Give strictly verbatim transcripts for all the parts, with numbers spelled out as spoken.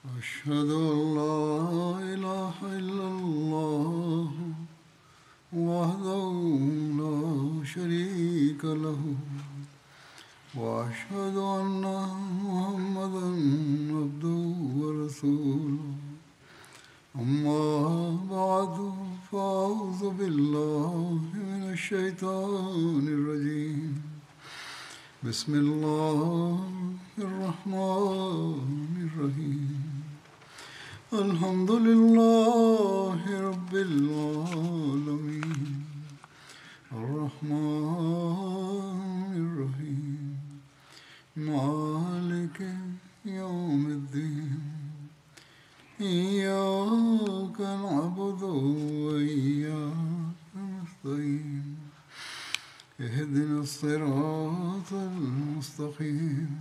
أشهد أن لا إله إلا الله وحده لا شريك له وأشهد أن محمدا عبده ورسوله أما بعد فأعوذ بالله من الشيطان الرجيم بسم الله الرحمن الرحيم الحمد لله رب العالمين الرحمن الرحيم مالك يوم الدين إياك نعبد وإياك نستعين اهدنا الصراط المستقيم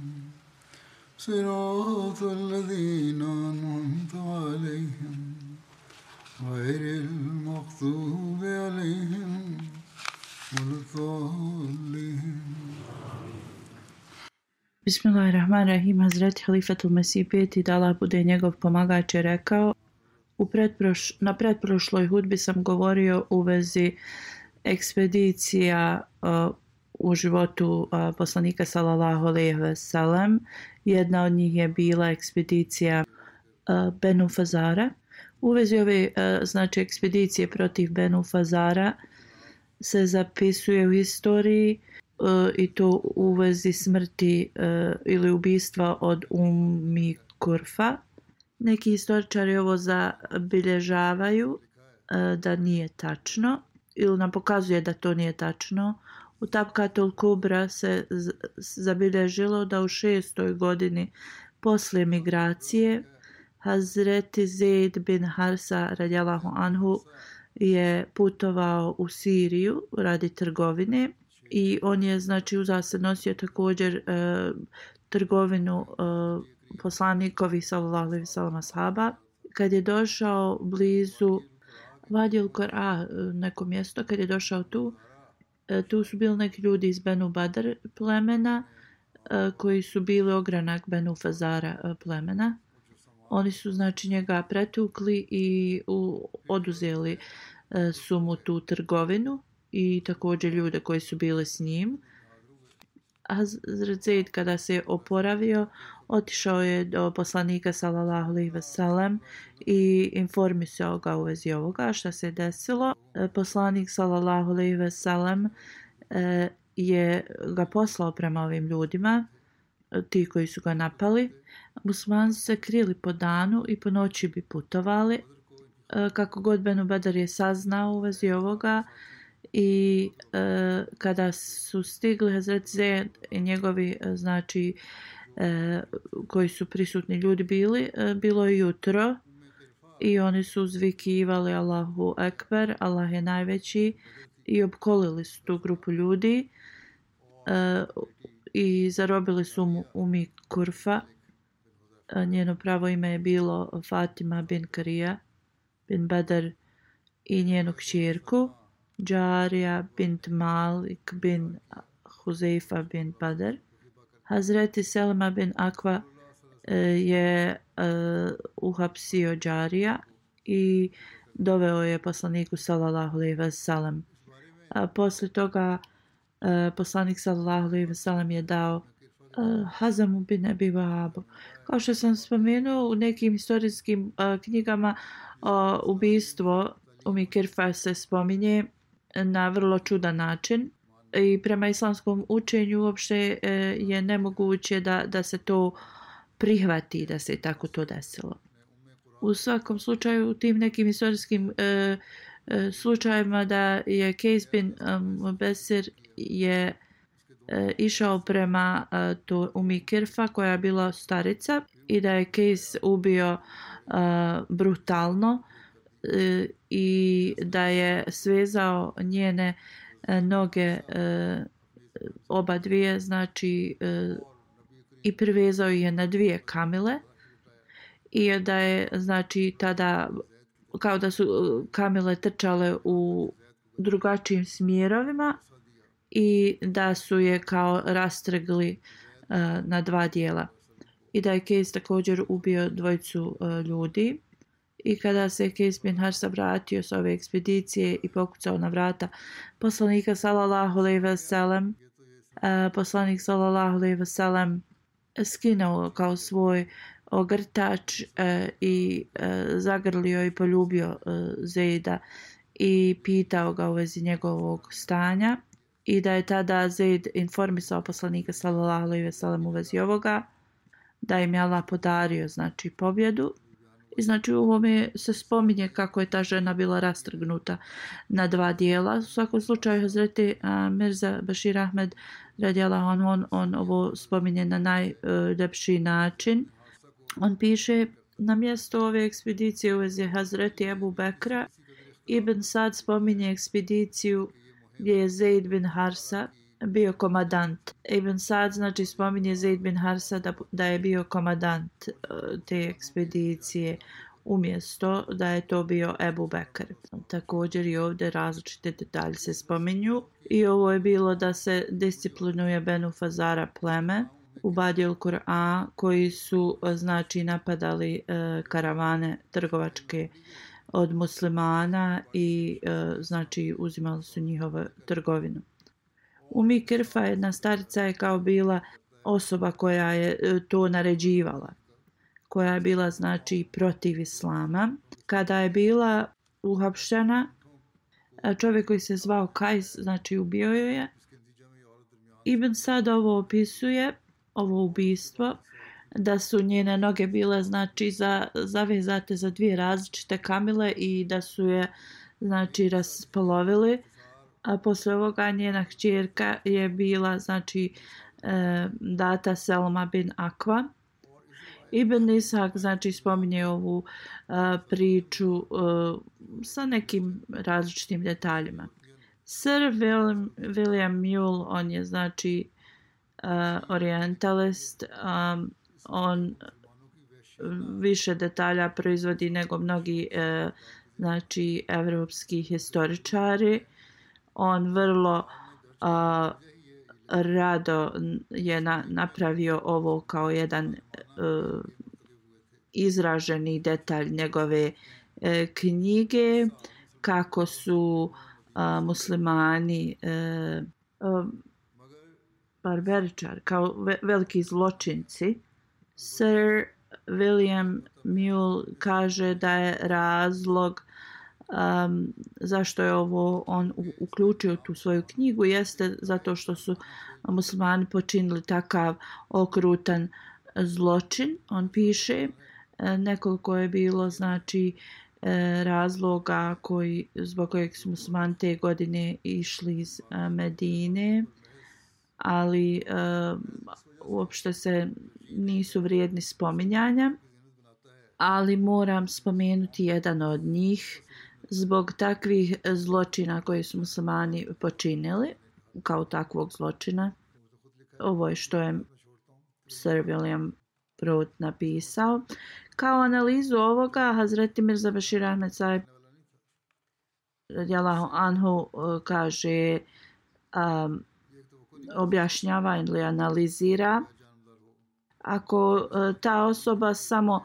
صراط الذين أنعمت عليهم غير المغضوب عليهم ولا الضالين. Bismillahirrahmanirrahim. Hazreti Halifatul Mesih peti, da Allah bude njegov pomagač, je rekao: U pretproš, na pretprošloj hudbi sam govorio u vezi ekspedicija uh, u životu uh, poslanika sallallahu alejhi ve sellem. Jedna od njih je bila ekspedicija uh, Benu Fazara. U vezi ove uh, znači ekspedicije protiv Benu Fazara se zapisuje u historiji uh, i to u vezi smrti uh, ili ubistva od Ummi Kurfa. Neki historičari ovo zabilježavaju uh, da nije tačno ili nam pokazuje da to nije tačno. U Tabkatul Kubra se z- zabilježilo da u šestoj godini poslije migracije Hazreti Zaid bin Harsa radijallahu anhu je putovao u Siriju radi trgovine i on je znači uza se nosio također e, trgovinu e, poslanikovi sallallahu alejhi ve sellem ashaba. Kad je došao blizu Vadil Qur'a, neko mjesto, kad je došao tu, tu su bili neki ljudi iz Benu Badr plemena koji su bili ogranak Benu Fazara plemena. Oni su znači njega pretukli i u, oduzeli su mu tu trgovinu i također ljude koji su bili s njim. Hazret Zaid kada se je oporavio, otišao je do poslanika sallallahu alejhi ve sellem i informisao ga u vezi ovoga šta se desilo. Poslanik sallallahu alejhi ve sellem je ga poslao prema ovim ljudima, ti koji su ga napali. Muslimani su se krili po danu i po noći bi putovali. Kako god Benu Badr je saznao u vezi ovoga, i e, kada su stigli Hazret Zaid i njegovi znači e, koji su prisutni ljudi bili, e, bilo je jutro i oni su uzvikivali Allahu Ekber, Allah je najveći, i opkolili su tu grupu ljudi e, i zarobili su mu Ummi Kurfa. E, njeno pravo ime je bilo Fatima bin Karija bin Badr i njenu kćerku Džarija bint Malik bin Huzeifa bin Badr. Hazreti Selma bin Akva e, je e, uhapsio Džarija i doveo je poslaniku sallallahu alejhi ve sellem. Posle toga e, poslanik sallallahu alejhi ve sellem je dao e, Hazamu bin Abi Wahabu. Kao što sam spomenuo, u nekim historijskim e, knjigama o, ubistvo Ummi Kurfa se spominje na vrlo čudan način i prema islamskom učenju uopšte e, je nemoguće da, da se to prihvati, da se tako to desilo. U svakom slučaju, u tim nekim historijskim e, e, slučajevima da je Kejs bin um, Besir je e, išao prema e, to Ummi Kurfa koja je bila starica i da je Kejs ubio e, brutalno e, i da je svezao njene e, noge e, oba dvije, znači e, i privezao je na dvije kamile i da je znači tada kao da su kamile trčale u drugačijim smjerovima i da su je kao rastrgli uh, na dva dijela. i da je Kejs također ubio dvojicu uh, ljudi. I kada se Kejs bin Harsa vratio s ove ekspedicije i pokucao na vrata poslanika sallallahu alejhi ve sellem, uh, poslanik sallallahu alejhi ve sellem skinuo kao svoj ogrtač uh, i uh, zagrlio i poljubio uh, Zejda i pitao ga u vezi njegovog stanja i da je tada Zejd informisao poslanika sallallahu alejhi ve sellem u vezi ovoga, da im je Allah podario znači pobjedu. I znači u ovome se spominje kako je ta žena bila rastrgnuta na dva dijela. U svakom slučaju Hazreti uh, Mirza Bashir Ahmed radijallahu anhu, on, on ovo spominje na najljepši uh, način. On piše: na mjesto ove ekspedicije u vezi Hazreti Ebu Bekra, Ibn Sad spominje ekspediciju gdje je Zeid bin Harsa bio komadant. Ibn Sad znači spominje Zeid bin Harsa da, da je bio komadant uh, te ekspedicije umjesto da je to bio Ebu Bekr. Također i ovdje različite detalje se spominju i ovo je bilo da se disciplinuje Benu Fazara pleme u Badil Kur'a koji su znači napadali uh, karavane trgovačke od muslimana i uh, znači uzimali su njihovu trgovinu. Umi Kirfa, jedna starica, je kao bila osoba koja je to naređivala, koja je bila znači protiv islama. Kada je bila uhapšena, čovjek koji se zvao Kajs, znači ubio joj je. Ibn Sad ovo opisuje, ovo ubistvo, da su njene noge bile znači za, zavezate za dvije različite kamile i da su je znači raspolovili. A posle ovoga njena kćerka je bila znači e, data Selma bin Akva. Ibn Ishak znači spominje ovu a, priču a, sa nekim različitim detaljima. Sir William, William Mule, on je znači a, orientalist, a, on više detalja proizvodi nego mnogi a, znači evropski historičari. On vrlo a, rado je na, napravio ovo kao jedan uh, izraženi detalj njegove uh, knjige, kako su uh, muslimani uh, uh, barbaričari, kao ve, veliki zločinci. Sir William Mule kaže da je razlog Um, zašto je ovo on uključio tu svoju knjigu jeste zato što su muslimani počinili takav okrutan zločin. On piše nekoliko je bilo znači razloga koji, zbog kojeg su muslimani te godine išli iz Medine, ali um, uopšte se nisu vrijedni spominjanja, ali moram spomenuti jedan od njih zbog takvih zločina koje su muslimani počinili, kao takvog zločina. Ovo je što je Sir William Prout napisao. Kao analizu ovoga, Hazreti Mirza Bashir Ahmed Sahib radijallahu anhu kaže, um, objašnjava ili analizira, ako ta osoba samo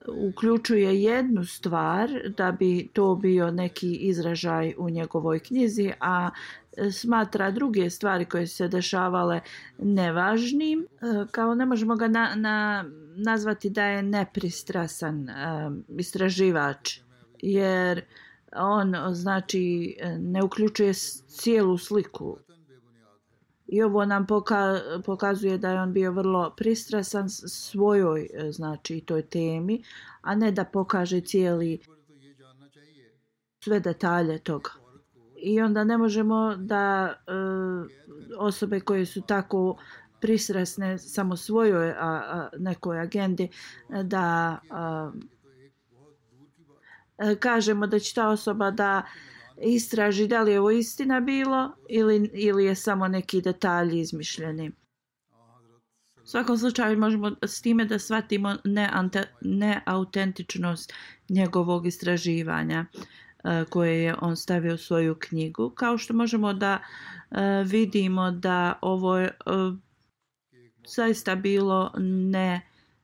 uključuje jednu stvar da bi to bio neki izražaj u njegovoj knjizi, a smatra druge stvari koje su se dešavale nevažnim, kao ne možemo ga na, na, nazvati da je nepristrasan um, istraživač, jer on znači ne uključuje cijelu sliku. I ovo nam poka, pokazuje da je on bio vrlo pristrasan svojoj znači toj temi, a ne da pokaže cijeli sve detalje toga. I onda ne možemo da e, osobe koje su tako pristrasne samo svojoj a, a, nekoj agendi da a, kažemo da će ta osoba da istraži da li je ovo istina bilo ili, ili je samo neki detalji izmišljeni. U svakom slučaju možemo s time da shvatimo neautentičnost njegovog istraživanja koje je on stavio u svoju knjigu, kao što možemo da vidimo da ovo zaista bilo ne,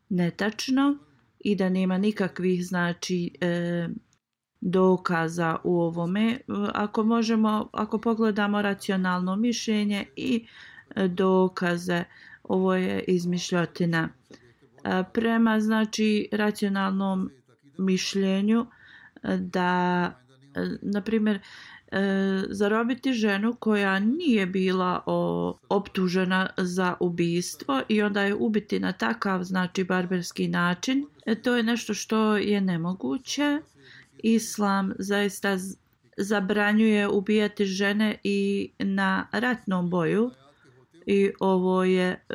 netačno i da nema nikakvih znači e, dokaza u ovome. Ako možemo, ako pogledamo racionalno mišljenje i dokaze, ovo je izmišljotina. Prema znači racionalnom mišljenju da, na primjer, zarobiti ženu koja nije bila o, optužena za ubistvo i onda je ubiti na takav znači barbarski način, to je nešto što je nemoguće. Islam zaista zabranjuje ubijati žene i na ratnom boju i ovo je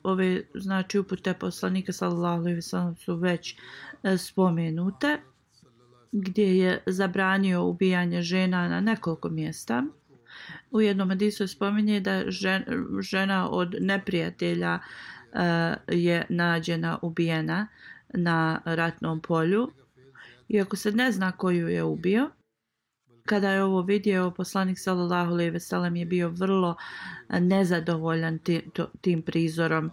ove znači upute poslanika sallallahu alejhi ve sellem su već spomenute, gdje je zabranio ubijanje žena na nekoliko mjesta. U jednom hadisu spominje da žena od neprijatelja je nađena ubijena na ratnom polju, iako se ne zna koju je ubio. Kada je ovo vidio, poslanik sallallahu alejhi ve sellem je bio vrlo nezadovoljan tim prizorom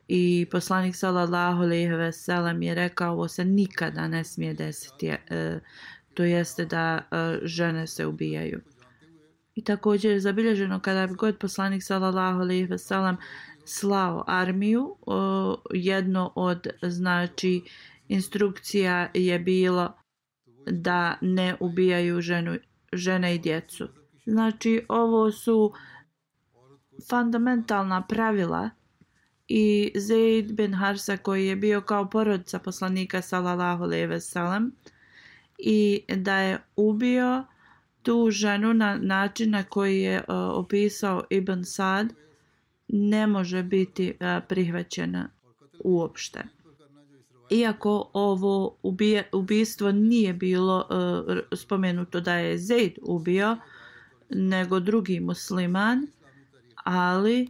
i poslanik sallallahu alejhi ve sellem je rekao ovo se nikada ne smije desiti, e, to jeste da e, žene se ubijaju. I također je zabilježeno kada je god poslanik sallallahu alejhi ve sellem slao armiju, o, jedno od znači instrukcija je bilo da ne ubijaju ženu, žene i djecu. Znači ovo su fundamentalna pravila i Zaid bin Harsa koji je bio kao porodica poslanika sallallahu alejhi ve sellem i da je ubio tu ženu na način na koji je uh, opisao Ibn Sad ne može biti uh, prihvaćena uopšte. Iako ovo ubije, ubijstvo nije bilo uh, spomenuto da je Zaid ubio, nego drugi musliman, ali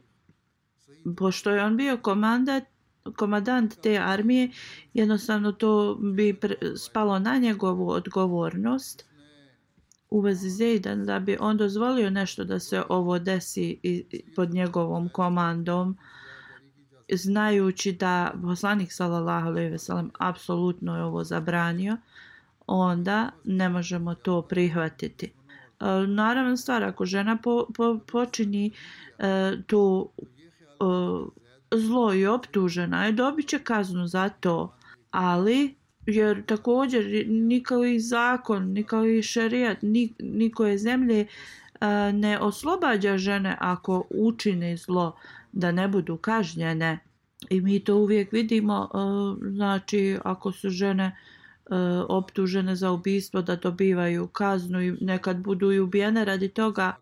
pošto je on bio komandant, komandant te armije, jednostavno to bi spalo na njegovu odgovornost u vezi Zejda, da bi on dozvolio nešto da se ovo desi pod njegovom komandom, znajući da poslanik sallallahu alejhi ve sellem apsolutno je ovo zabranio, onda ne možemo to prihvatiti. Naravno stvar, ako žena po, po, počini e, to e, zlo i optužena je, dobit će kaznu za to, ali jer također nikoji zakon, nikoji šerijat, nikoje zemlje e, ne oslobađa žene ako učine zlo da ne budu kažnjene. I mi to uvijek vidimo, e, znači ako su žene optužene za ubistvo da dobivaju kaznu i nekad budu i ubijene radi toga,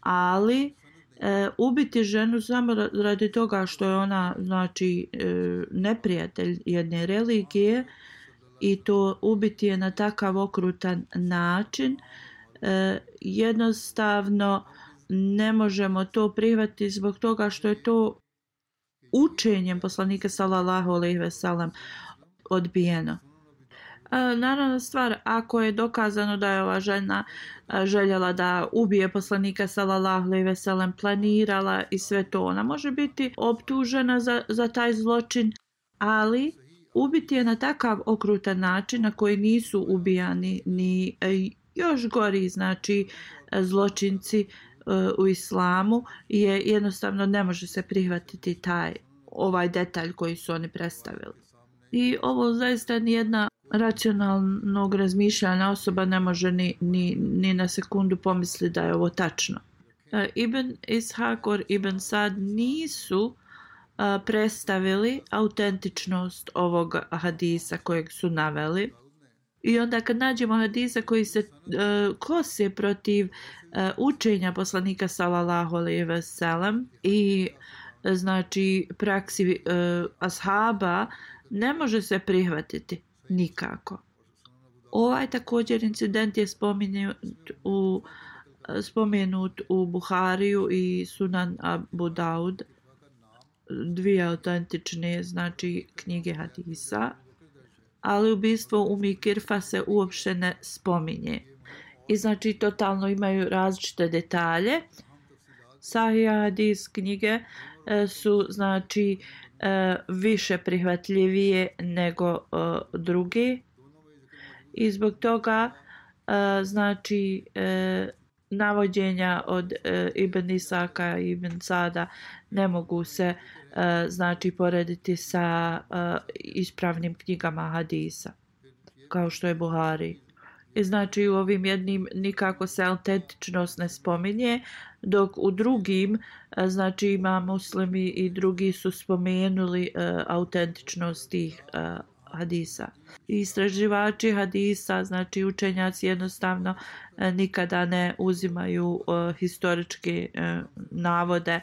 ali e, ubiti ženu samo radi toga što je ona znači e, neprijatelj jedne religije i to ubiti je na takav okrutan način, e, jednostavno ne možemo to prihvatiti zbog toga što je to učenjem poslanika sallallahu alejhi ve sellem odbijeno. Naravno stvar, ako je dokazano da je ova žena željela da ubije poslanika sallallahu alejhi ve sellem, planirala i sve to, ona može biti optužena za, za taj zločin, ali ubiti je na takav okrutan način na koji nisu ubijani ni još gori znači zločinci u islamu, je jednostavno ne može se prihvatiti taj ovaj detalj koji su oni predstavili. I ovo zaista nijedna racionalnog razmišljanja osoba ne može ni, ni, ni na sekundu pomisliti da je ovo tačno. Uh, Ibn Ishaq or Ibn Sad nisu uh, predstavili autentičnost ovog hadisa kojeg su naveli. I onda kad nađemo hadisa koji se uh, kose protiv uh, učenja poslanika sallallahu alejhi ve sellem i znači praksi uh, ashaba, ne može se prihvatiti nikako. Ovaj također incident je spomenut u, spomenut u Buhariju i Sunan Abu Daud, dvije autentične znači knjige hadisa, ali ubistvo Umi Kirfa se uopšte ne spominje. I znači totalno imaju različite detalje. Sahih hadis knjige su znači e, više prihvatljivije nego e, drugi i zbog toga e, znači e, navođenja od e, Ibn Isaka i Ibn Sada ne mogu se e, znači porediti sa e, ispravnim knjigama hadisa kao što je Buhari. I znači u ovim jednim nikako se autentičnost ne spominje, dok u drugim znači ima muslimi i drugi su spomenuli uh, autentičnost tih uh, hadisa. Istraživači hadisa, znači učenjaci jednostavno uh, nikada ne uzimaju uh, historičke uh, navode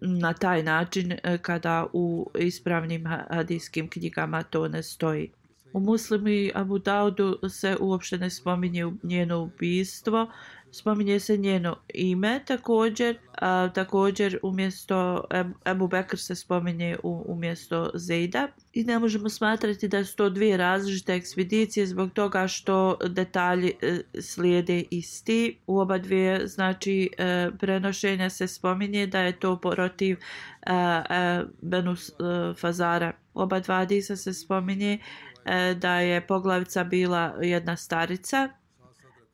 na taj način uh, kada u ispravnim hadijskim knjigama to ne stoji. U Muslimu i Abu Daudu se uopšte ne spominje njeno ubistvo, spominje se njeno ime također, a, također umjesto Ebu Bekr se spominje u, umjesto Zejda i ne možemo smatrati da su to dvije različite ekspedicije zbog toga što detalji e, slijede isti. U oba dvije znači e, prenošenja se spominje da je to protiv e, e, Benu e, Fazara. Oba dva hadisa se spominje da je poglavica bila jedna starica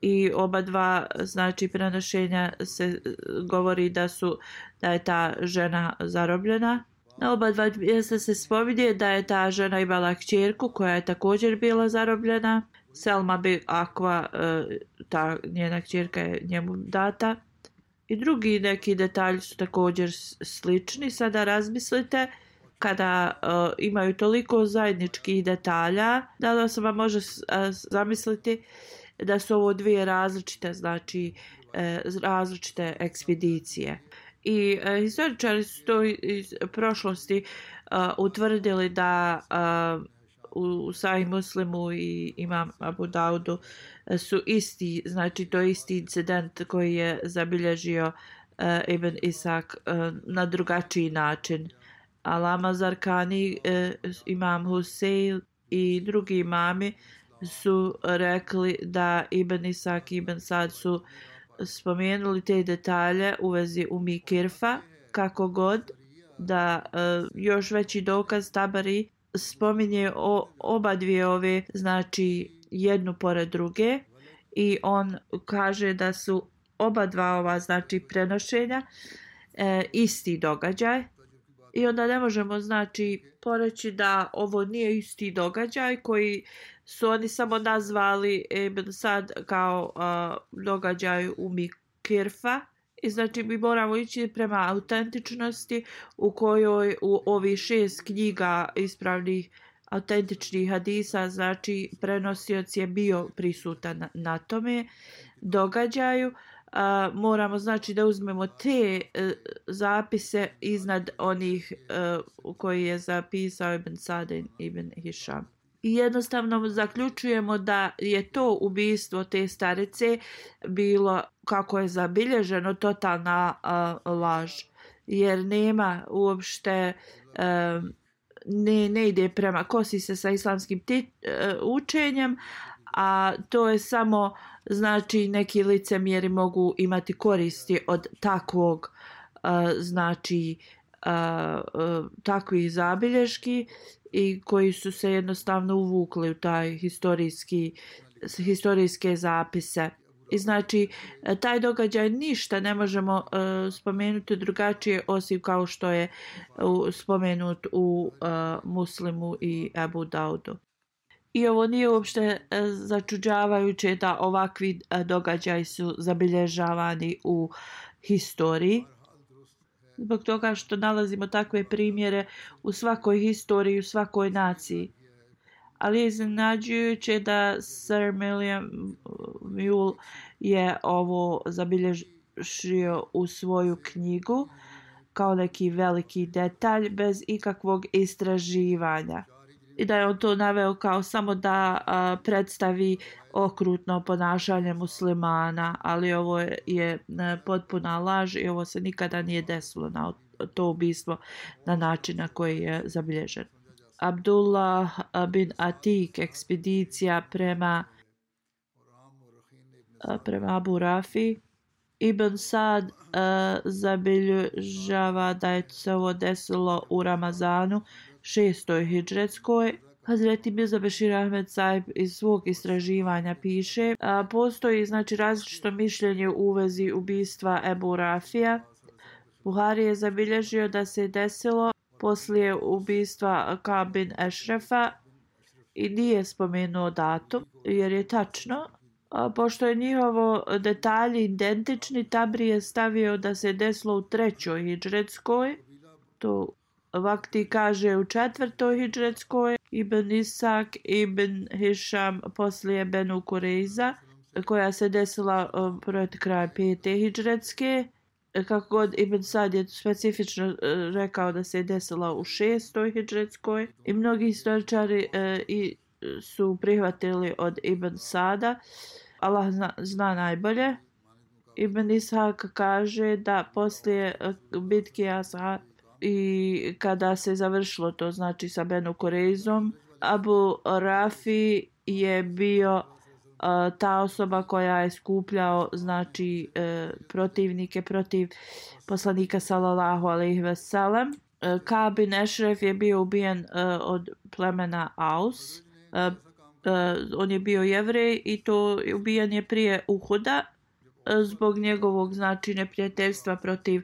i oba dva znači prenošenja se govori da su da je ta žena zarobljena. Na oba dva mjesta se spominje da je ta žena imala kćerku koja je također bila zarobljena. Selma bi Akva, ta njena kćerka je njemu data. I drugi neki detalji su također slični. Sada razmislite kada uh, imaju toliko zajedničkih detalja, da li osoba može uh, zamisliti da su ovo dvije različite, znači uh, različite ekspedicije. I uh, historičari su to iz prošlosti uh, utvrdili da uh, u Sahih Muslimu i Imam Abu Daudu su isti, znači to je isti incident koji je zabilježio uh, Ibn Isak uh, na drugačiji način. Alama Zarkani, eh, imam Husein i drugi imami su rekli da Ibn Isak i Ibn Sad su spomenuli te detalje u vezi Umi Kirfa, kako god da eh, još veći dokaz Tabari spominje o, oba dvije ove, znači jednu pored druge i on kaže da su oba dva ova znači prenošenja eh, isti događaj. I onda ne možemo znači poreći da ovo nije isti događaj koji su oni samo nazvali Ibn Sad kao uh, događaj Umi Kirfa. I znači mi moramo ići prema autentičnosti u kojoj u ovih šest knjiga ispravnih autentičnih hadisa znači prenosioc je bio prisutan na, na tome događaju. Uh, moramo znači da uzmemo te uh, zapise iznad onih uh, koji je zapisao Ibn Sad i Ibn Hišam. I jednostavno zaključujemo da je to ubistvo te starice bilo, kako je zabilježeno, totalna uh, laž. Jer nema uopšte, uh, ne, ne ide prema, kosi se sa islamskim ti, uh, učenjem, a to je samo znači neki licemjeri mogu imati koristi od takvog uh, znači uh, uh, takvih zabilješki i koji su se jednostavno uvukli u taj historijski historijske zapise. I znači taj događaj ništa ne možemo uh, spomenuti drugačije osim kao što je uh, spomenut u uh, Muslimu i Abu Daudu. I ovo nije uopšte začuđavajuće da ovakvi događaji su zabilježavani u historiji. Zbog toga što nalazimo takve primjere u svakoj historiji, u svakoj naciji. Ali je iznenađujuće da Sir William Mule je ovo zabilježio u svoju knjigu kao neki veliki detalj bez ikakvog istraživanja. I da je on to naveo kao samo da a, predstavi okrutno ponašanje muslimana, ali ovo je, je potpuna laž i ovo se nikada nije desilo na to ubistvo na način na koji je zabilježen. Abdullah bin Atik, ekspedicija prema prema Abu Rafi. Ibn Sad uh, zabilježava da je se ovo desilo u Ramazanu šestoj hidžretskoj. Hazreti Mirza Bešir Ahmed Sahib iz svog istraživanja piše, a, postoji znači različito mišljenje u vezi ubistva Ebu Rafija. Buhari je zabilježio da se desilo poslije ubistva Ka'b bin Ešrefa i nije spomenuo datum, jer je tačno. A, pošto je njihovo detalji identični, Tabri je stavio da se desilo u trećoj hidžretskoj, to Vakti kaže u četvrtoj hidžretskoj, Ibn Isak, Ibn Hišam poslije Benu Kureiza, koja se desila uh, pred kraj pete hidžretske. Kako god Ibn Sad je specifično uh, rekao da se desila u šestoj hidžretskoj. I mnogi historičari uh, i su prihvatili od Ibn Sada. Allah zna, zna najbolje. Ibn Ishak kaže da poslije uh, bitke Ashab i kada se završilo to znači sa Benu Kureizom, Abu Rafi je bio uh, ta osoba koja je skupljao znači uh, protivnike protiv poslanika sallallahu alejhi ve sellem. Uh, Ka'b bin Ešref je bio ubijen uh, od plemena Aus. Uh, uh, on je bio Jevrej i to ubijen je prije Uhuda uh, zbog njegovog znači neprijateljstva protiv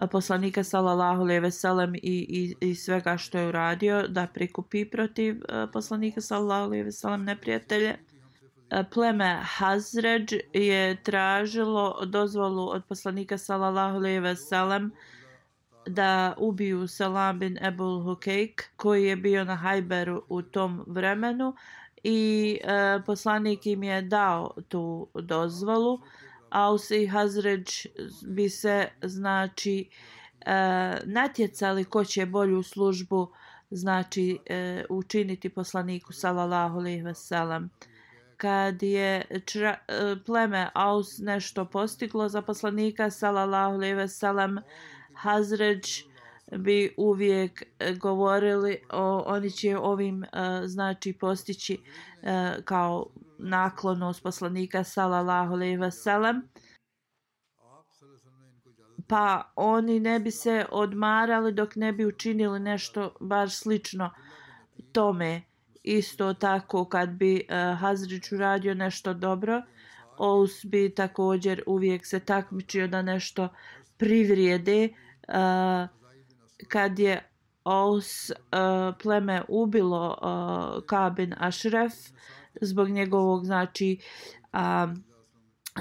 poslanika sallallahu alejhi ve sellem i, i, i svega što je uradio da prikupi protiv uh, poslanika sallallahu alejhi ve sellem neprijatelje. Uh, pleme Hazređ je tražilo dozvolu od poslanika sallallahu alejhi ve sellem da ubiju Salam bin Ebul Hukejk koji je bio na Hajberu u tom vremenu i uh, poslanik im je dao tu dozvolu. Aus i Hazređ bi se znači e, natjecali ko će bolju službu znači e, učiniti poslaniku sallallahu alejhi ve sellem. Kad je čra, e, pleme Aus nešto postiglo za poslanika sallallahu alejhi ve sellem, Hazređ bi uvijek govorili o, oni će ovim e, znači postići e, kao naklonost poslanika sallallahu alejhi ve sellem, pa oni ne bi se odmarali dok ne bi učinili nešto baš slično tome. Isto tako kad bi uh, Hazrić uradio nešto dobro, Aus bi također uvijek se takmičio da nešto privrijede. Uh, kad je Aus uh, pleme ubilo uh, Ka'b bin Ešref zbog njegovog znači a,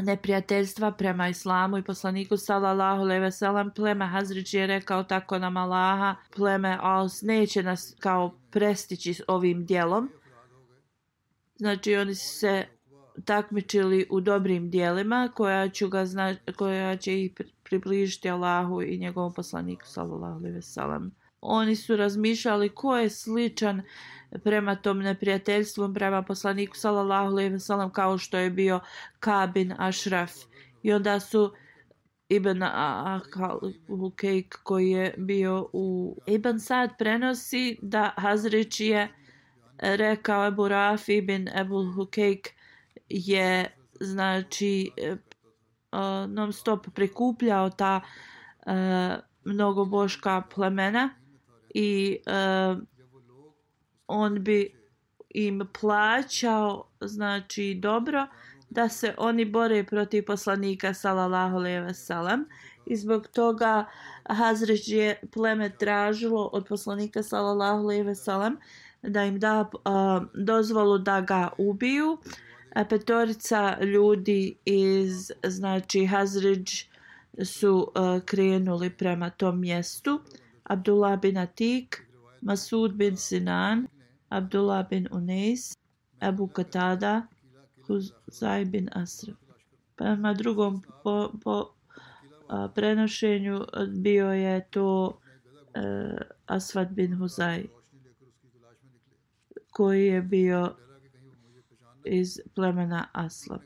neprijateljstva prema islamu i poslaniku sallallahu alejhi ve sellem, pleme Hazrić je rekao tako nam Allaha, pleme Aus neće nas kao prestići ovim djelom. Znači oni se takmičili u dobrim djelima koja će, ga zna, koja će ih približiti Allahu i njegovom poslaniku sallallahu alejhi ve sellem. Oni su razmišljali ko je sličan prema tom neprijateljstvu prema poslaniku sallallahu alejhi ve sellem kao što je bio Ka'b bin Ešref. I onda su Ibn Hukejk koji je bio u Ibn Sad prenosi da Hazrić je rekao Ebu Rafi bin Ebul Hukejk je znači uh, non stop prikupljao ta uh, mnogoboška plemena i uh, on bi im plaćao znači dobro da se oni bore protiv poslanika sallallahu alejhi ve sellem i zbog toga Hazređ je pleme tražilo od poslanika sallallahu alejhi ve sellem da im da uh, dozvolu da ga ubiju. A petorica ljudi iz znači Hazređ su uh, krenuli prema tom mjestu. Abdullah bin Atik, Masud bin Sinan, Abdullah bin Unais, Abu Katada, Huzaj bin Asraf. Prema drugom po, po a, prenošenju bio je to e, Asvad bin Huzaj koji je bio iz plemena Aslam.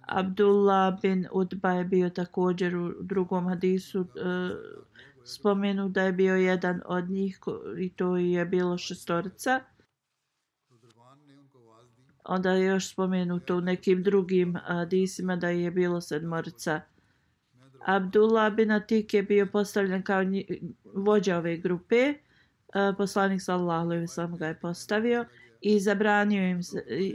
Abdullah bin Utba je bio također u drugom hadisu e, spomenu da je bio jedan od njih i to je bilo šestorica. Onda je još spomenuto u nekim drugim hadisima da je bilo sedmorica. Abdullah bin Atik je bio postavljen kao vođa ove grupe. Poslanik sallallahu alejhi ve sellem ga je postavio i zabranio im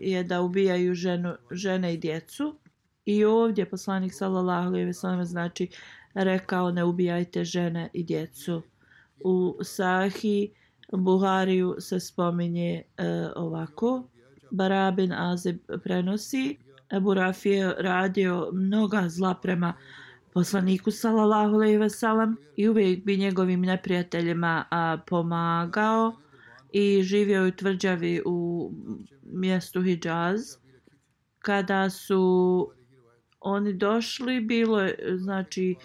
je da ubijaju ženu, žene i djecu. I ovdje poslanik sallallahu alejhi ve sellem znači rekao ne ubijajte žene i djecu. U Sahih Buhariju se spominje uh, ovako. Bara bin Azib prenosi Ebu Rafi je radio mnoga zla prema poslaniku sallallahu alejhi ve sellem i uvijek bi njegovim neprijateljima a, pomagao i živio u tvrđavi u mjestu Hidžaz. Kada su oni došli, bilo je, znači,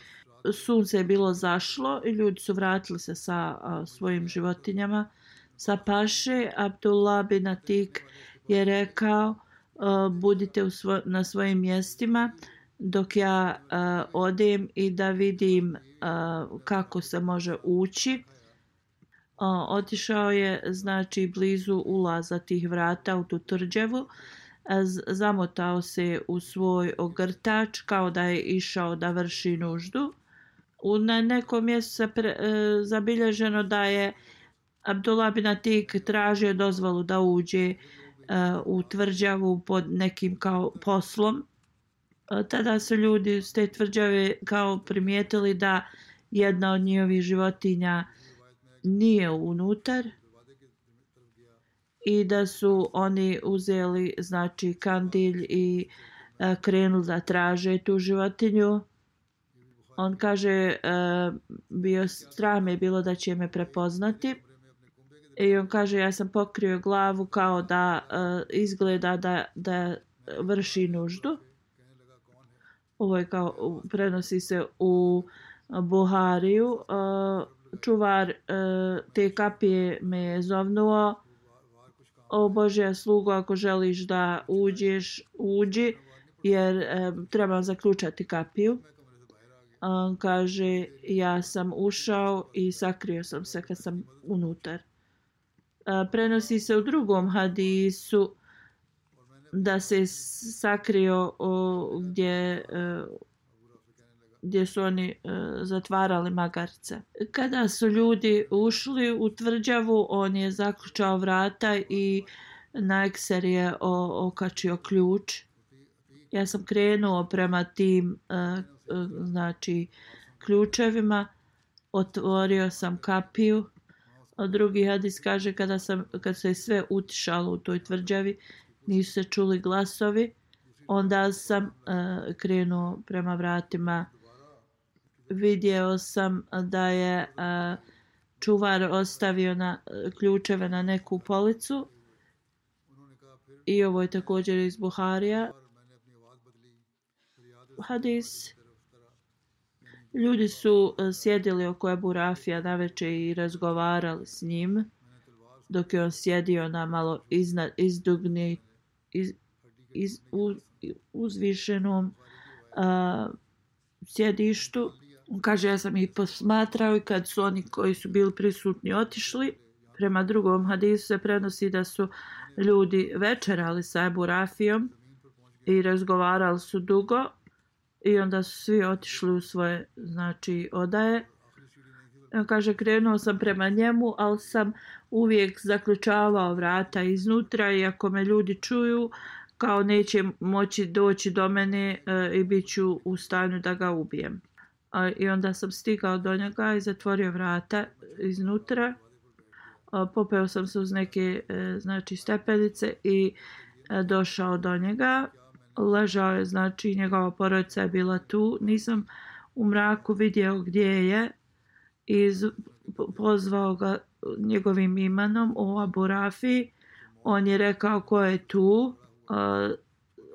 sunce je bilo zašlo i ljudi su vratili se sa a, svojim životinjama sa paše. Abdullah bin Atik je rekao a, budite u svo, na svojim mjestima dok ja a, odem i da vidim a, kako se može ući. A, otišao je znači blizu ulaza tih vrata u tu tvrđavu. Zamotao se u svoj ogrtač kao da je išao da vrši nuždu. U na nekom mjestu se pre, e, zabilježeno da je Abdullah bin Atik tražio dozvolu da uđe e, u tvrđavu pod nekim kao poslom. E, tada su ljudi s te tvrđave kao primijetili da jedna od njihovih životinja nije unutar i da su oni uzeli znači kandilj i e, krenuli da traže tu životinju. On kaže e, bio strah me bilo da će me prepoznati i on kaže ja sam pokrio glavu kao da e, izgleda da, da vrši nuždu. Ovo je kao prenosi se u Buhariju. E, čuvar e, te kapije me je zovnuo: o Božja slugo, ako želiš da uđeš, uđi, jer e, treba zaključati kapiju. On kaže, ja sam ušao i sakrio sam se kad sam unutar. E, prenosi se u drugom hadisu da se sakrio o, gdje, e, gdje su oni e, zatvarali magarce. Kada su ljudi ušli u tvrđavu, on je zaključao vrata i na ekser je o, okačio ključ. Ja sam krenuo prema tim e, znači ključevima, otvorio sam kapiju. A drugi hadis kaže kada sam kad se sve utišalo u toj tvrđavi, nisu se čuli glasovi, onda sam uh, krenuo prema vratima. Vidio sam da je uh, čuvar ostavio na ključeve na neku policu i ovo je također iz Buharija hadis. Ljudi su sjedili oko Ebu Rafija navečer i razgovarali s njim dok je on sjedio na malo iznad, izdugni, iz, iz, uz, uzvišenom uh, sjedištu. On kaže, ja sam ih posmatrao i kad su oni koji su bili prisutni otišli. Prema drugom hadisu se prenosi da su ljudi večerali sa Ebu Rafijom i razgovarali su dugo. I onda su svi otišli u svoje znači odaje. On kaže, krenuo sam prema njemu, ali sam uvijek zaključavao vrata iznutra i ako me ljudi čuju, kao neće moći doći do mene e, i bit ću u stanju da ga ubijem. A, I onda sam stigao do njega i zatvorio vrata iznutra. A, popeo sam se uz neke e, znači stepenice i e, došao do njega. Ležao je, znači njegova porodica je bila tu. Nisam u mraku vidio gdje je i pozvao ga njegovim imenom, o Abu Rafi. On je rekao ko je tu. Uh,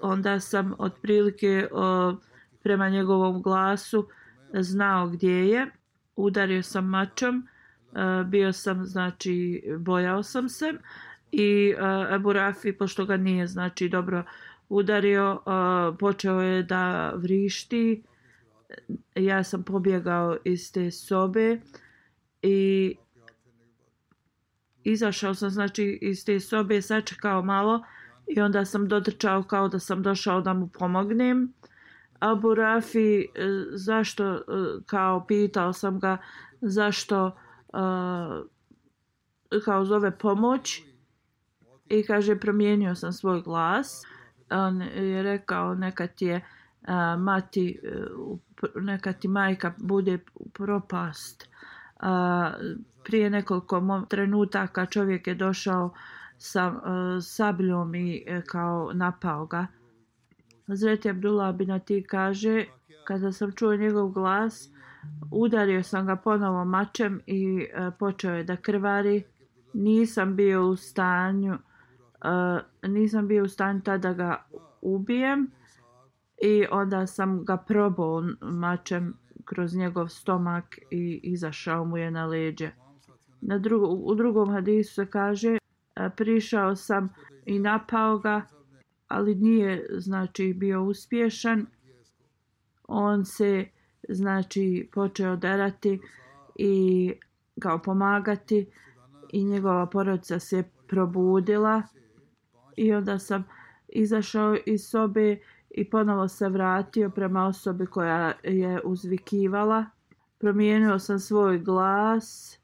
onda sam otprilike uh, prema njegovom glasu znao gdje je. Udario sam mačom. Uh, bio sam, znači bojao sam se i uh, Abu Rafi, pošto ga nije znači dobro udario, uh, počeo je da vrišti. Ja sam pobjegao iz te sobe i izašao sam znači iz te sobe, sačekao malo i onda sam dotrčao kao da sam došao da mu pomognem. Abu Rafi, zašto, kao pitao sam ga zašto kao zove pomoć i kaže promijenio sam svoj glas. On je rekao neka ti je mati, neka ti majka bude propast. Prije nekoliko trenutaka čovjek je došao sa sabljom i kao napao ga. Hazreti Abdullah bin Ati kaže, kada sam čuo njegov glas, udario sam ga ponovo mačem i uh, počeo je da krvari. Nisam bio u stanju, uh, nisam bio u stanju tada ga ubijem i onda sam ga probao mačem kroz njegov stomak i izašao mu je na leđe. Na drugo, u drugom hadisu se kaže, uh, prišao sam i napao ga, ali nije znači bio uspješan. On se znači počeo derati i kao pomagati i njegova porodica se probudila i onda sam izašao iz sobe i ponovo se vratio prema osobi koja je uzvikivala. Promijenio sam svoj glas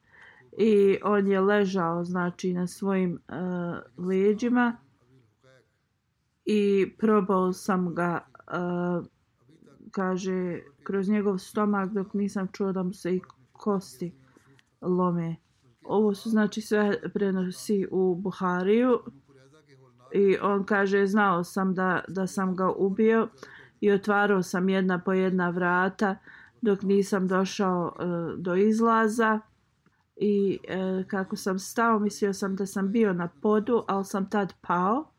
i on je ležao znači na svojim uh, leđima i probao sam ga uh, kaže kroz njegov stomak dok nisam čuo da mu se i kosti lome. Ovo su znači sve prenosi u Buhariju i on kaže znao sam da, da sam ga ubio i otvarao sam jedna po jedna vrata dok nisam došao uh, do izlaza i uh, kako sam stao mislio sam da sam bio na podu, ali sam tad pao.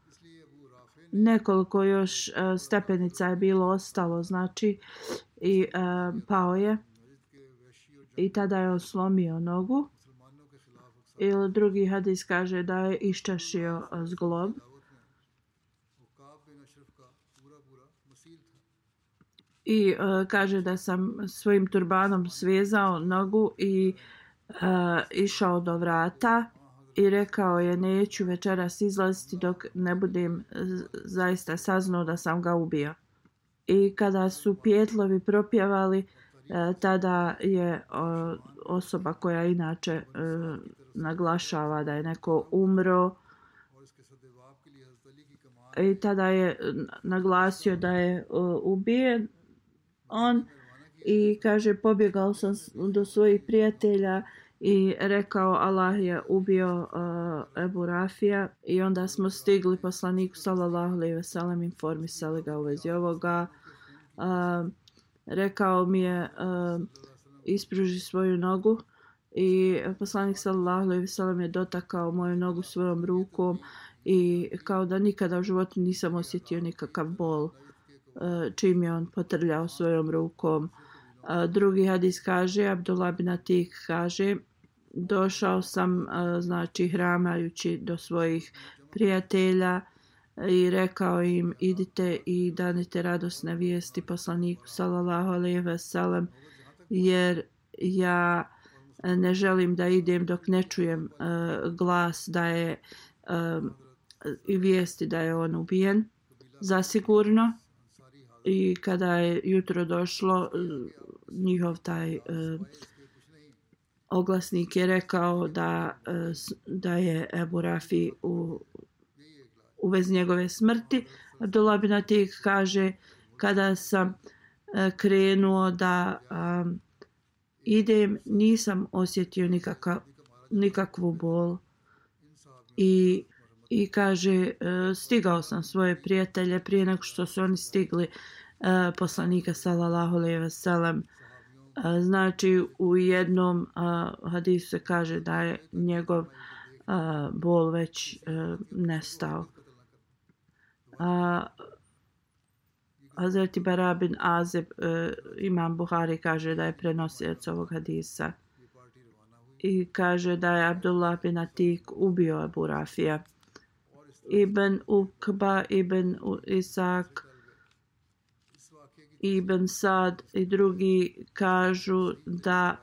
Nekoliko još uh, stepenica je bilo ostalo, znači, i uh, pao je. I tada je on slomio nogu. Ili drugi hadis kaže da je iščašio uh, zglob. I uh, kaže da sam svojim turbanom svezao nogu i uh, išao do vrata. I rekao je neću večeras izlaziti dok ne budem zaista saznao da sam ga ubio. I kada su pijetlovi propjevali, tada je osoba koja inače naglašava da je neko umro i tada je naglasio da je ubijen on i kaže pobjegao sam do svojih prijatelja i rekao Allah je ubio uh, Ebu Rafija i onda smo stigli poslaniku sallallahu alejhi ve sellem, informisali ga u vezi ovoga. Uh, rekao mi je uh, ispruži svoju nogu i poslanik sallallahu alejhi ve sellem je dotakao moju nogu svojom rukom i kao da nikada u životu nisam osjetio nikakav bol uh, čim je on potrljao svojom rukom. Uh, drugi hadis kaže, Abdullah bin Atik kaže, došao sam uh, znači hramajući do svojih prijatelja i rekao im idite i danite radosne vijesti poslaniku sallallahu alejhi ve sellem jer ja ne želim da idem dok ne čujem uh, glas da je uh, i vijesti da je on ubijen zasigurno. I kada je jutro došlo, njihov taj uh, oglasnik je rekao da, uh, da je Ebu Rafi u, u vezi njegove smrti. Abdullah bin Atik kaže, kada sam uh, krenuo da um, idem, nisam osjetio nikakav, nikakvu bol. I, i kaže, uh, stigao sam svoje prijatelje prije nego što su oni stigli uh, poslanika sallallahu alejhi ve sellem. Uh, znači u jednom uh, hadisu se kaže da je njegov uh, bol već uh, nestao. Uh, Hazreti Bara bin Azib, uh, imam Buhari, kaže da je prenosilac ovog hadisa i kaže da je Abdullah bin Atik ubio Ebu Rafija. Ibn Ukba, Ibn Isak, Ibn Sad i drugi kažu da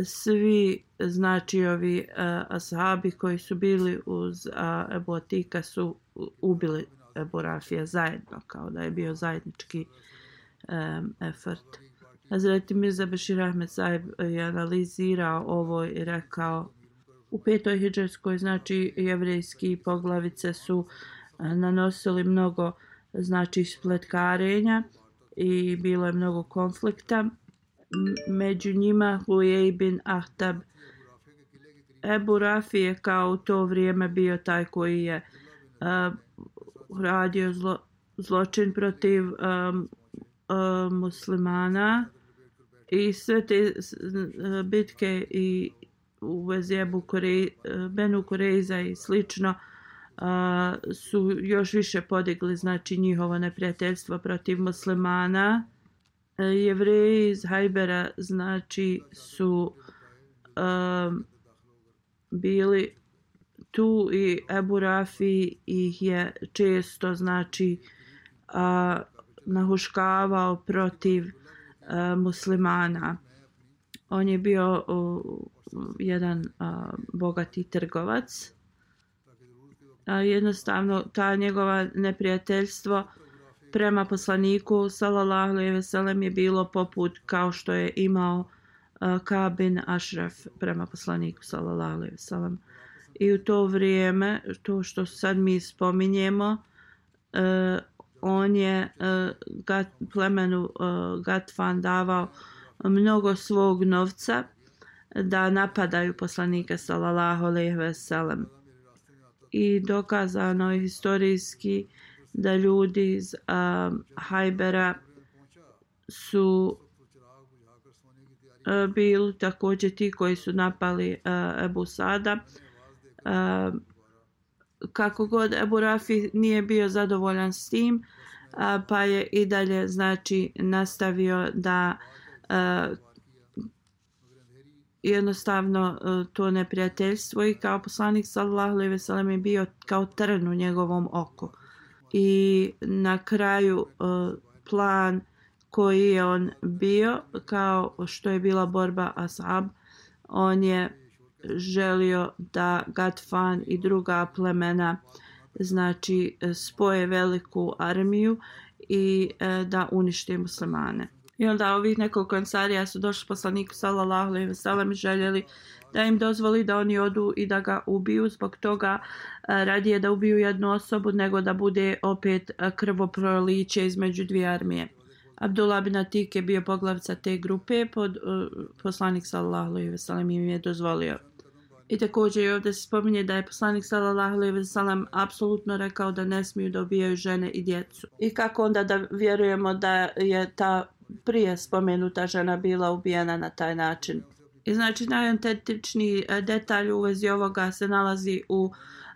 svi znači ovi uh, ashabi koji su bili uz uh, Ebu Atika su ubili Ebu Rafija zajedno, kao da je bio zajednički um, effort. Hazreti Mirza Bashir Ahmed Sahib je analizirao ovo i rekao u petoj hidžarskoj, znači jevrejski poglavice su nanosili mnogo znači spletkarenja i bilo je mnogo konflikta. Među njima Huyej bin Ahtab. Ebu Rafi je kao u to vrijeme bio taj koji je uh, radio zlo, zločin protiv um, uh, muslimana i sve te uh, bitke i u vezi Ebu Kurej, uh, Benu Kurejza i slično uh, su još više podigli znači njihovo neprijateljstvo protiv muslimana. Uh, Jevreji iz Hajbera znači su uh, bili tu i Ebu Rafi ih je često znači uh, nahuškavao protiv uh, muslimana. On je bio uh, jedan uh, bogati trgovac. Uh, jednostavno ta njegova neprijateljstvo prema poslaniku sallallahu alejhi ve sellem je bilo poput kao što je imao uh, Ka'b bin Ashraf prema poslaniku sallallahu alejhi ve sellem. I u to vrijeme, to što sad mi spominjemo, uh, on je uh, gat, plemenu uh, Gatfan davao mnogo svog novca da napadaju poslanika sallallahu alejhi ve sellem. I dokazano je historijski da ljudi iz uh, Hajbera su uh, bili također ti koji su napali uh, Ebu Sada. Uh, kako god Ebu Rafi nije bio zadovoljan s tim, uh, pa je i dalje znači nastavio da uh, jednostavno uh, to neprijateljstvo i kao poslanik sallallahu alejhi ve sellem je bio kao trn u njegovom oku. I na kraju uh, plan koji je on bio, kao što je bila borba Ashab, on je želio da Gatfan i druga plemena znači spoje veliku armiju i e, da unište muslimane. I onda ovih nekoliko ensarija su došli poslaniku sallallahu alejhi ve sellem i željeli da im dozvoli da oni odu i da ga ubiju. Zbog toga e, radije da ubiju jednu osobu nego da bude opet krvoproliće između dvije armije. Abdullah bin Atik je bio poglavica te grupe, pod, uh, poslanik sallallahu alejhi ve sellem im je dozvolio. I također ovdje se spominje da je poslanik sallallahu alejhi ve sellem apsolutno rekao da ne smiju da ubijaju žene i djecu. I kako onda da vjerujemo da je ta prije spomenuta žena bila ubijena na taj način? I znači najautentičniji detalj u vezi ovoga se nalazi u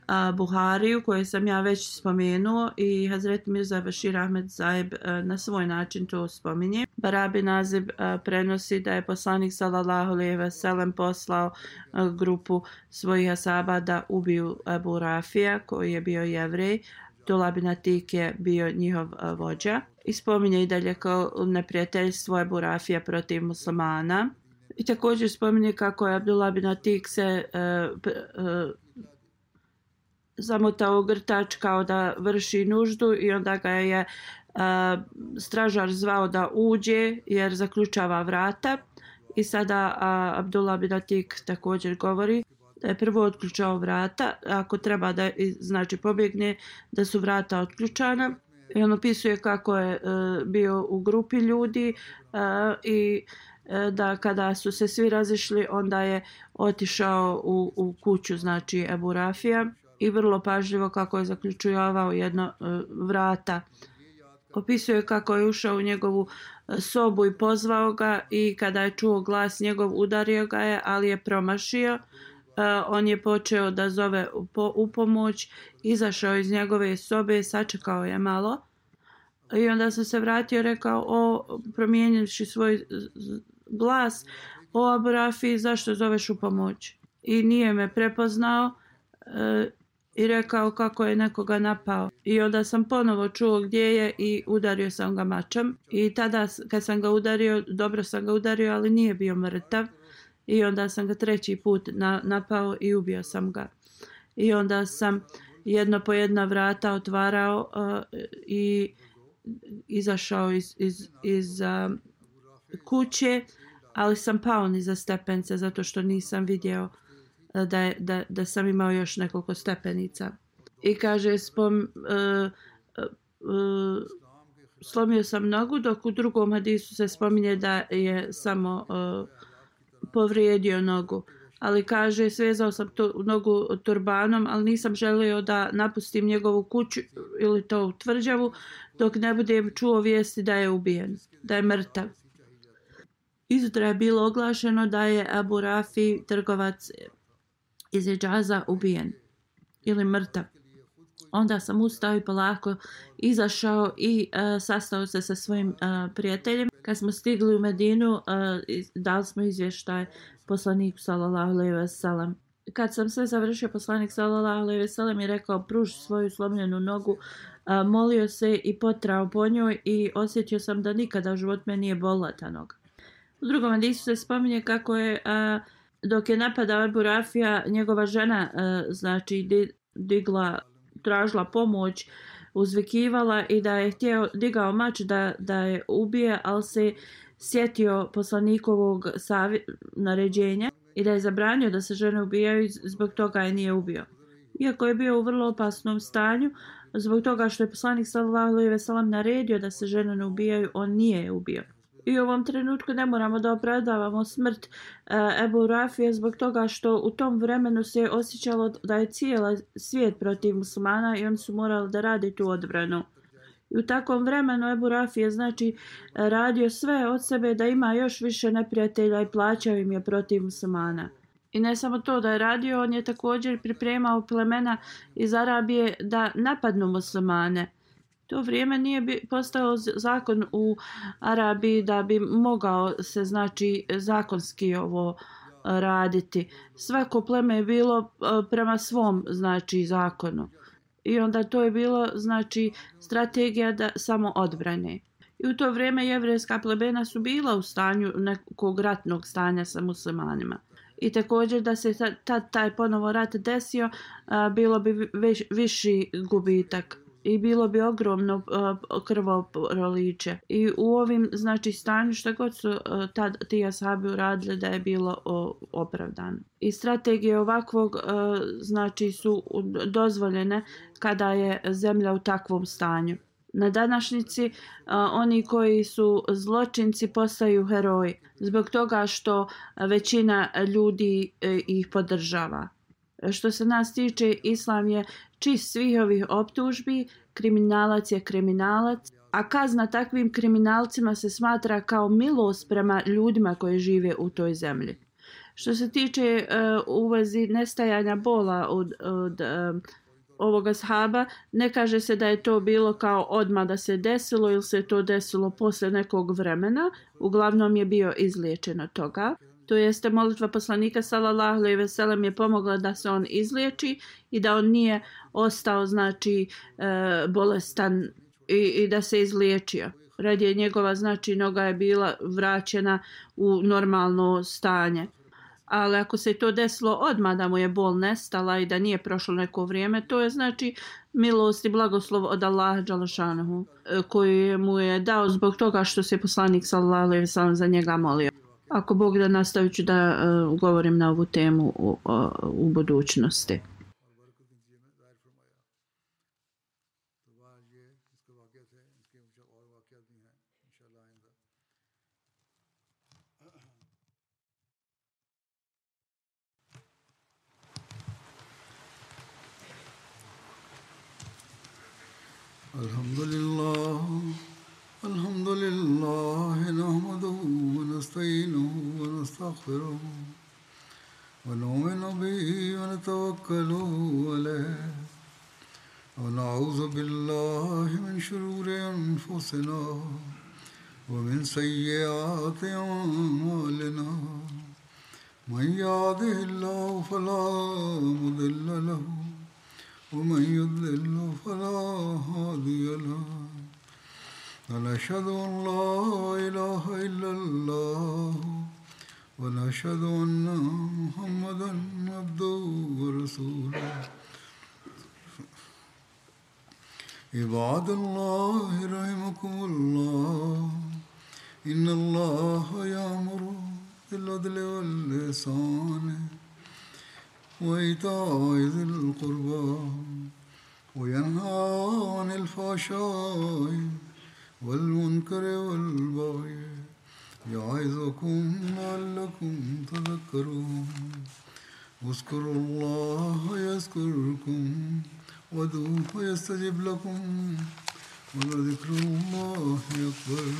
Uh, Buhariju, koje sam ja već spomenuo, i Hazret Mirza Bashir Ahmed Sahib uh, na svoj način to spominje. Bara bin Azib uh, prenosi da je poslanik sallallahu alejhi ve sellem poslao uh, grupu svojih asaba da ubiju Ebu Rafija, koji je bio Jevrej. Abdullah bin Atik je bio njihov uh, vođa. I spominje i dalje kao neprijateljstvo Ebu Rafija protiv muslimana. I također spominje kako je Abdullah bin Atik se uh, uh, zamotao grtač kao da vrši nuždu i onda ga je uh, stražar zvao da uđe jer zaključava vrata. I sada uh, Abdullah bin Atik također govori da je prvo otključao vrata, ako treba da znači pobjegne, da su vrata otključana. I on opisuje kako je uh, bio u grupi ljudi uh, i uh, da kada su se svi razišli, onda je otišao u, u kuću znači Ebu Rafija i vrlo pažljivo kako je zaključavao jedno uh, vrata. Opisuje kako je ušao u njegovu uh, sobu i pozvao ga i kada je čuo glas njegov udario ga je, ali je promašio. Uh, on je počeo da zove po, u pomoć, izašao iz njegove sobe, sačekao je malo i onda sam se vratio i rekao, o, promijenivši svoj glas, o Abu Rafi, zašto zoveš u pomoć? I nije me prepoznao uh, i rekao kako je nekoga napao. I onda sam ponovo čuo gdje je i udario sam ga mačem. I tada kad sam ga udario, dobro sam ga udario, ali nije bio mrtav. I onda sam ga treći put na, napao i ubio sam ga. I onda sam jedno po jedna vrata otvarao uh, i izašao iz, iz, iz uh, kuće, ali sam pao niza stepence zato što nisam vidio da, je, da, da sam imao još nekoliko stepenica. I kaže, spom, uh, uh, slomio sam nogu, dok u drugom hadisu se spominje da je samo uh, povrijedio nogu. Ali kaže, svezao sam to, nogu turbanom, ali nisam želio da napustim njegovu kuću ili to u tvrđavu, dok ne budem čuo vijesti da je ubijen, da je mrtav. Izutra je bilo oglašeno da je Abu Rafi, trgovac iz Hidžaza, ubijen ili mrtav. Onda sam ustao i polako izašao i uh, sastao se sa svojim uh, prijateljem. Kad smo stigli u Medinu, uh, dali smo izvještaj poslaniku sallallahu alejhi ve sellem. Kad sam sve završio, poslanik sallallahu alejhi ve sellem je rekao pruži svoju slomljenu nogu, uh, molio se i potrao po njoj i osjetio sam da nikada u životu me nije bolila ta noga. U drugom hadisu se spominje kako je uh, dok je napadao Abu Rafija, njegova žena uh, znači di, digla, tražila pomoć, uzvikivala i da je htio digao mač da, da je ubije, ali se sjetio poslanikovog savje, naređenja i da je zabranio da se žene ubijaju, zbog toga je nije ubio. Iako je bio u vrlo opasnom stanju, zbog toga što je poslanik sallallahu alejhi ve sellem naredio da se žene ne ubijaju, on nije je ubio. I u ovom trenutku ne moramo da opravdavamo smrt uh, Ebu Rafije zbog toga što u tom vremenu se osjećalo da je cijela svijet protiv muslimana i oni su morali da radi tu odbranu. I u takvom vremenu Ebu Rafije znači radio sve od sebe da ima još više neprijatelja i plaćao im je protiv muslimana. I ne samo to da je radio, on je također pripremao plemena iz Arabije da napadnu muslimane. To vrijeme nije bi postao zakon u Arabiji da bi mogao se znači zakonski ovo raditi. Svako pleme je bilo prema svom znači zakonu. I onda to je bilo znači strategija da samo odbrane. I u to vrijeme jevrejska plebena su bila u stanju nekog ratnog stanja sa muslimanima. I također da se tad taj ponovo rat desio, bilo bi viš, viši gubitak. I bilo bi ogromno uh, krvoproliće. I u ovim znači stanju što god su uh, tad ti ashabi uradili da je bilo uh, opravdano. I strategije ovakvog uh, znači su dozvoljene kada je zemlja u takvom stanju. Na današnjici uh, oni koji su zločinci postaju heroji zbog toga što većina ljudi uh, ih podržava. Što se nas tiče, islam je čist svih ovih optužbi, kriminalac je kriminalac, a kazna takvim kriminalcima se smatra kao milost prema ljudima koji žive u toj zemlji. Što se tiče uh, u vezi nestajanja bola od, od uh, ovoga ashaba, ne kaže se da je to bilo kao odmah da se desilo ili se to desilo posle nekog vremena, uglavnom je bio izliječen od toga. To jeste molitva poslanika sallallahu alejhi ve sellem je pomogla da se on izliječi i da on nije ostao znači e, bolestan i, i da se izliječio. Radije njegova znači noga je bila vraćena u normalno stanje. Ali ako se to desilo odmah da mu je bol nestala i da nije prošlo neko vrijeme, to je znači milost i blagoslov od Allaha dželešanohu koji mu je dao zbog toga što se poslanik sallallahu alejhi ve sellem za njega molio. Ako Bog da, nastavit ću da uh, govorim na ovu temu u, uh, u budućnosti. Alhamdulillah. الحمد لله نحمده ونستعينه ونستغفره ونؤمن به ونتوكل عليه ونعوذ بالله من شرور أنفسنا ومن سيئات أعمالنا من يهده الله فلا مضل له ومن يضلل فلا هادي له ونشهد أن لا إله إلا الله ونشهد أن محمدا عبده ورسوله عباد الله رحمكم الله إن الله يأمر بالعدل والإحسان وإيتاء ذي القربى وينهى عن الفحشاء والمنكر والبغي يعظكم لعلكم تذكرون اذكروا الله يذكركم وادعوه يستجب لكم ولذكر الله أكبر